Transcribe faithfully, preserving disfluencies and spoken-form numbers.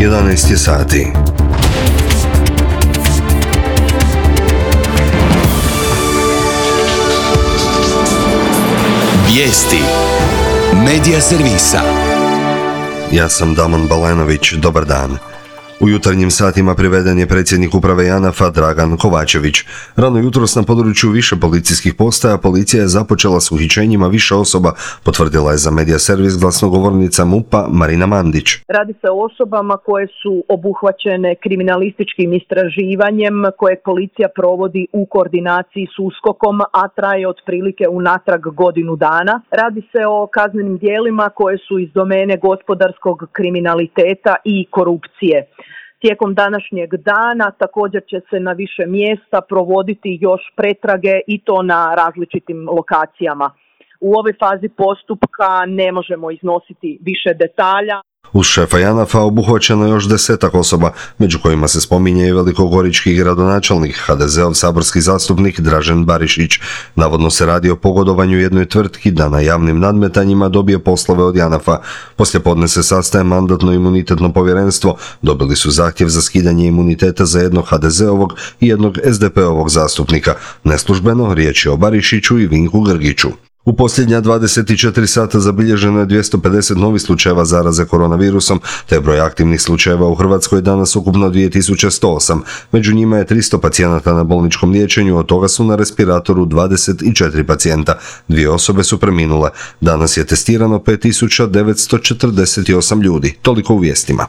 jedanaest je sati. Vijesti Medija servisa. Ja sam Damon Balenović, dobar dan. U jutarnjim satima priveden je predsjednik uprave JANAF-a Dragan Kovačević. Rano jutros na području više policijskih postaja policija je započela s uhićenjima više osoba, potvrdila je za Medija servis glasnogovornica MUP-a Marina Mandić. Radi se o osobama koje su obuhvaćene kriminalističkim istraživanjem koje policija provodi u koordinaciji s USKOK-om, a traje otprilike unatrag godinu dana. Radi se o kaznenim djelima koje su iz domene gospodarskog kriminaliteta i korupcije. Tijekom današnjeg dana također će se na više mjesta provoditi još pretrage i to na različitim lokacijama. U ovoj fazi postupka ne možemo iznositi više detalja. Uz šefa JANAF-a obuhvaćeno još desetak osoba, među kojima se spominje i velikogorički gradonačelnik, ha de zeov saborski zastupnik Dražen Barišić. Navodno se radi o pogodovanju jednoj tvrtki da na javnim nadmetanjima dobije poslove od JANAF-a. Poslijepodne se sastaje mandatno-imunitetno povjerenstvo. Dobili su zahtjev za skidanje imuniteta za jednog ha de zeovog i jednog es de pe ovog zastupnika. Neslužbeno riječ je o Barišiću i Vinku Grgiću. U posljednja dvadeset četiri sata zabilježeno je dvjesto pedeset novih slučajeva zaraze koronavirusom, te broj aktivnih slučajeva u Hrvatskoj danas ukupno dvije tisuće sto osam. Među njima je tristo pacijenata na bolničkom liječenju, od toga su na respiratoru dvadeset četiri pacijenta. Dvije osobe su preminule. Danas je testirano pet tisuća devetsto četrdeset osam ljudi. Toliko u vijestima.